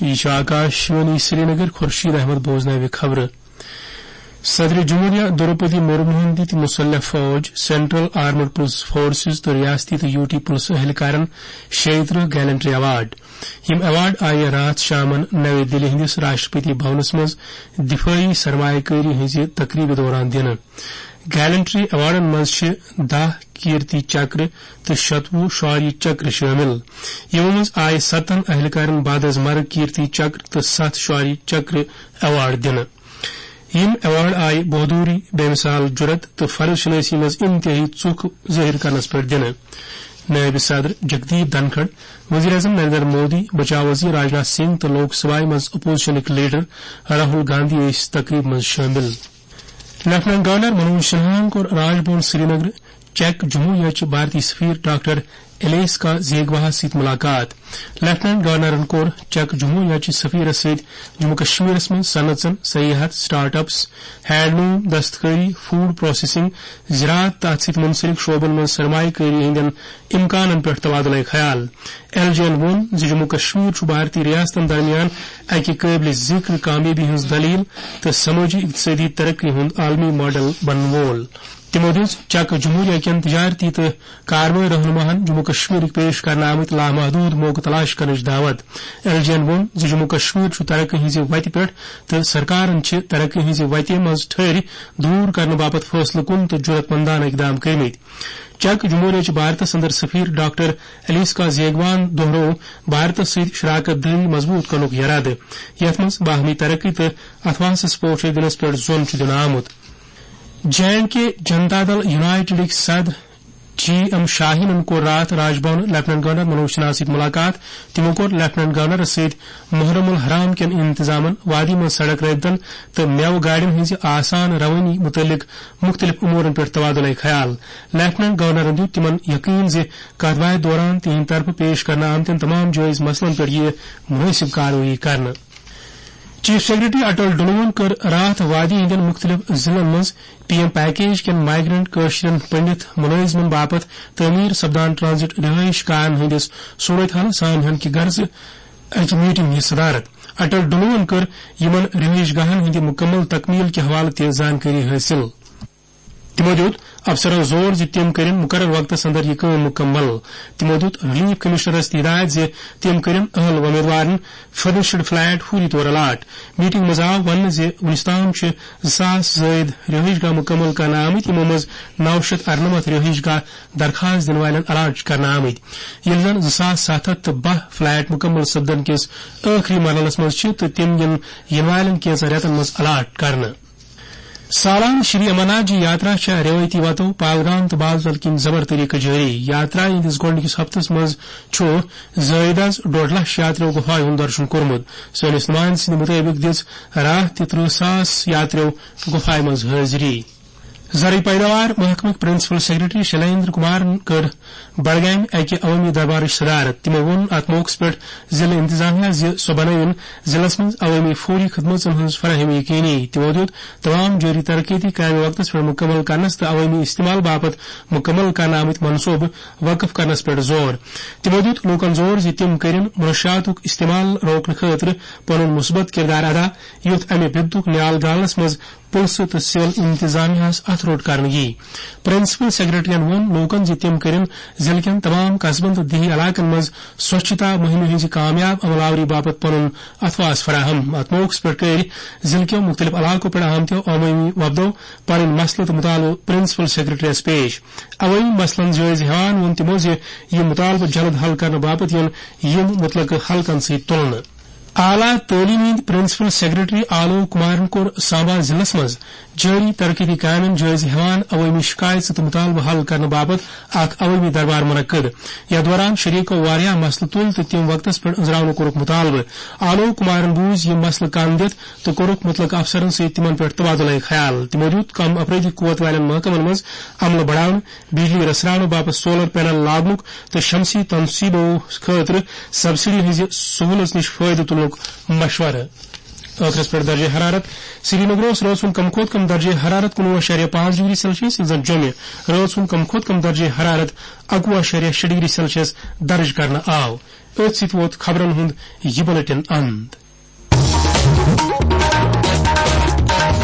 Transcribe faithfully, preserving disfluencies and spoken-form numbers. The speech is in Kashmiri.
یہ چھُ آکاشوانی سرینگر۔ خورشید احمد بوزناوِ خبرٕ۔ صدر جمہوریہ دروپدی مرموہن دِتۍ مسلح فوج، سینٹرل آرمڈ پولیس فورسز تہٕ ریاستی تہٕ یوٹی پولیس اہلکارن شیٚیہِ ترٕٛہ گیلنٹری ایوارڈ۔ یِم ایوارڈ آیہِ راتھ شامن نوِ دِلہِ ہٕنٛدِس راشٹرپتی بھونس منٛز دفٲعی سرمایہ کٲری ہٕنٛزِ تقریبہِ دوران دِنہٕ۔ گیلنٹری ایوارڈن منٛز چھِ دَہ کیرتی چکر تہٕ شتوُہ شوریہ چکر شٲمِل۔ یِمو منٛز آیہِ ستن اہلکارن بعد از مرگ کیرتی چکر تہٕ ستھ شوریہ چکر ایوارڈ دِنہٕ۔ یِم ایوارڈ آیہِ بہادری، بے مثال جرت تہٕ فرض شناسی منٛز انتہٲئی ژُکھ ظٲہِر کرنس پٮ۪ٹھ دِنہٕ۔ نٲیِب صدر جگدیپ دھنکھڑ، وزیر اعظم نریندر مودی، بچاو وزیر راجناتھ سنگھ تہٕ لوک سبھایہ منٛز اپوزیشنٕکۍ لیڈر راہل گاندھی ٲسۍ تقریبہِ منٛز شٲمِل۔ لیفٹیننٹ گورنر منوج سنہاہن کوٚر راج بھون سرینگر چیک جمہوریہ چہِ بھارتی سفیر ڈاکٹر الیسکا زیگواہس سۭتۍ ملاقات۔ لیفٹیننٹ گورنرن کوٚر چیک جمہوریہ چہِ سفیرس سۭتۍ جموں کشمیرس منٛز صنعژن، سیاحت، سٹارٹ اپس، ہینڈلوم، دستکٲری، فوڈ پروسیسنگ، زراعت تہٕ اتھ سۭتۍ منسلک شعبن منٛز سرمایہ کٲری ہٕنٛدٮ۪ن امکانن پٮ۪ٹھ تبادلہ خیال۔ ایل جے ین ووٚن زِ جموں کشمیر چھُ بھارتی ریاستن درمیان اکہِ قٲبلِ ذکر کامیٲبی ہٕنٛز دٔلیٖل تہٕ سمٲجی اقتصٲدی ترقی ہُنٛد عالمی ماڈل بنن وول۔ تِمو دِژ چک جمہوریہ کٮ۪ن تجارتی تہٕ کاروٲیی رہنماہن جموں کشمیرٕکۍ پیش کرنہٕ آمٕتۍ لامحدوٗد موقعہٕ تلاش کرنٕچ دعوت۔ ایل جے ین ووٚن زِ جموں کشمیر چھُ ترقی ہٕنٛزِ وتہِ پٮ۪ٹھ تہٕ سرکارن چھِ ترقی ہٕنٛزِ وتہِ منٛز ٹھٔہرِ دوٗر کرنہٕ باپتھ فٲصلہٕ کُن تہٕ جُرت مندانہٕ اقدام کٔرمٕتۍ۔ چک جمہوریہ چہِ بھارتس اندر سفیر ڈاکٹر الیسکا زیگوان دوہرو بھارتس سۭتۍ شراکت دٲری مضبوط کرنُک یرادٕ، یتھ منٛز باہمی ترقی تہٕ اتھواسس پوچھر دِنس پٮ۪ٹھ زون چھُ دِنہٕ آمُت۔ جے اینڈ کے جنتا دل یونائیٹڈٕکۍ صدر جی ایم شاہینن کوٚر راتھ راج بھون لیفٹیننٹ گورنر منوج سنہاہس سۭتۍ ملاقات۔ تِمو کوٚر لیفٹیننٹ گورنرس سۭتۍ محرم الحرام کٮ۪ن انتظامن، وادی منٛز سڑک رٲبطن تہٕ میوٕ گاڑٮ۪ن ہٕنٛزِ آسان روٲنی مُتعلق مُختٔلِف امورن پٮ۪ٹھ تبادلہ خیال۔ لیفٹیننٹ گورنرن دیُت تِمن یقین زِ کتھ باتھِ دوران تِہنٛدِ طرفہٕ پیش کرنہٕ آمتٮ۪ن تمام جٲیز مسلن پٮ۪ٹھ یِیہِ مُنٲسِب کاروٲیی کرنہٕ۔ چیف سیکرٹری اٹل ڈلوہن کٔر راتھ وادی ہٕنٛدٮ۪ن مُختٔلِف ضلعن منٛز پی ایم پیکیج کٮ۪ن مائیگرنٹ کٲشرٮ۪ن پنڈت مُلٲزمن باپتھ تعمیٖر سپدان ٹرانزٹ رہٲیِش گاہن ہٕنٛدِس صورتحالس سان ہن کہِ غرضہٕ اکہِ میٹنگ ہٕنٛز صدارت۔ اٹل ڈلوہن کٔر یِمن رہٲیِش گاہن ہٕنٛدِ مُکمل تکمیل کہِ حوالہٕ تہِ زانکٲری حٲصِل۔ تِمو دیُت افسرن زور زِ تِم کٔرِن مُقرر وقتس اندر یہِ کٲم مُکمل۔ تِمو دیُت ریلیف کمشنرس تہِ ہدایت زِ تِم کٔرِن اہل وۄمیدوارن فرنشڈ فلیٹ فوری طور الاٹ۔ میٹنگ منٛز آو وننہٕ زِ وُنیُس تام چھِ زٕ ساس زٲیِد رہٲیِش گاہ مُکمل کرنہٕ آمٕتۍ، یِمو منٛز نو شیٚتھ ارنمتھ رہٲیِش گاہ درخواست دِنہٕ والٮ۪ن الاٹ چھِ کرنہٕ آمٕتۍ، ییٚلہِ زن زٕ ساس ستھ ہتھ تہٕ باہ فلیٹ مُکمل سپدن کِس ٲخری مرحلس منٛز چھِ تہٕ تِم یِن یِنہٕ والٮ۪ن کینٛژن رٮ۪تن منٛز الاٹ کرنہٕ۔ سالانہٕ شری امرناتھ جی یاترا چھےٚ رٮ۪وٲیتی وتو پہلگام تہٕ بازل کِنۍ زبر طریقہٕ جٲری۔ یاترا ہٕنٛدِس گۄڈٕنِکِس ہفتس منٛز چھُ زٲیدس ڈۄڈ لچھ یاتریو گُفایہِ ہُنٛد درشن کوٚرمُت۔ سٲنِس نُمایندٕ سٕنٛدِ مُطٲبِق دِژ راتھ تہِ ترٕٛہ ساس یاتریو گُفایہِ منٛز حٲضری۔ زرعی پیداوار محکمٕکۍ پرنسپل سیکرٹری شلیندر کمارن کٔر بڈگامہِ اکہِ عوٲمی دربارٕچ صدارت۔ تِمو ووٚن اتھ موقعس پٮ۪ٹھ ضلعہٕ انتظامیہ زِ سۄ بنٲوِن ضلعس منٛز عوٲمی فوری خدمژن ہٕنٛز فراہمی یقینی۔ تِمو دیُت تمام جٲری ترقیتی کامہِ وقتس پٮ۪ٹھ مُکمل کرنس تہٕ عوٲمی استعمال باپتھ مُکمل کرنہٕ آمٕتۍ منصوبہٕ وقف کرنس پٮ۪ٹھ زور۔ تِمو دیُت لوٗکن زور زِ تِم کٔرِن منشیاتُک استعمال روکنہٕ خٲطرٕ پنُن مثبت کردار ادا، یُتھ امہِ بِپتُک نیال گالنس منٛز پُلسہٕ تہٕ سول انتظامیہ ہس اتھٕ روٚٹ کرنہٕ یی۔ پرنسپل سیکرٹریَن ووٚن لوٗکَن زِ تِم کٔرِن ضلعہٕ کٮ۪ن تمام قصبن تہٕ دیہی علاقن منٛز سوچھتا مُہِمہِ ہٕنٛزِ کامیاب عمل آوری باپتھ پنُن اتھواس فراہم۔ اتھ موقعس پٮ۪ٹھ کٔرۍ ضلعہٕ کٮ۪و مُختٔلِف علاقو پٮ۪ٹھ آمتیو عوٲمی وفدو پنٕنۍ مسلہٕ تہٕ مُطالبہٕ پرنسپل سیکرٹریَس پیش۔ عوٲمی مسلن جٲیزٕ ہٮ۪وان ووٚن تِمو زِ یِم مُطالبہٕ جلد حل کرنہٕ باپتھ یِن یِم مُتلقہٕ حلقن سۭتۍ تُلنہٕ۔ اعلیٰ تعلیٖم ہٕنٛدۍ پرنسپل سیکرٹری آلوک کمارن کوٚر سامبا ضلعس منٛز جٲری ترقیتی کامٮ۪ن جٲیزٕ ہٮ۪وان عوٲمی شکایژٕ تہٕ مُطالبہٕ حل کرنہٕ باپتھ اکھ عوٲمی دربار منعقد۔ یتھ دوران شریکو واریاہ مسلہٕ تُلۍ تہٕ تِم وقتس پٮ۪ٹھ أنٛزراونہٕ کوٚرُکھ مُطالبہٕ۔ آلوک کمارن بوٗزۍ یِم مسلہٕ کن دِتھ تہٕ کوٚرُکھ مُتلقہٕ افسرن سۭتۍ تِمن پٮ۪ٹھ تبادلہ خیال۔ تِمو دیُت کم افرٲدی قوت والٮ۪ن محکمن منٛز عملہٕ بڑاونہٕ، بجلی رژھراونہٕ باپتھ سولر پینل لاگنُک تہٕ شمسی تنصیبو خٲطرٕ سبسڈی ہٕنٛزِ سہولژ نِش فٲیدٕ تُلنُک مشورٕ۔ ٲخرس پٮ۪ٹھ درجہ حرارت۔ سرینگرس رٲژ ہُنٛد کم کھۄتہٕ کم درجہ حرارت کُنوُہ اعشاریہ پانٛژھ ڈگری سیلسیس، ییٚلہِ زن جوٚمہِ رٲژ ہُنٛد کم کھۄتہٕ کم درجہ حرارت اَکوُہ اعشاریہ شےٚ ڈگری سیلسیس درج کرنہٕ آو۔ أتھۍ سۭتۍ ووت خبرن ہُنٛد یہِ بلیٹن اند۔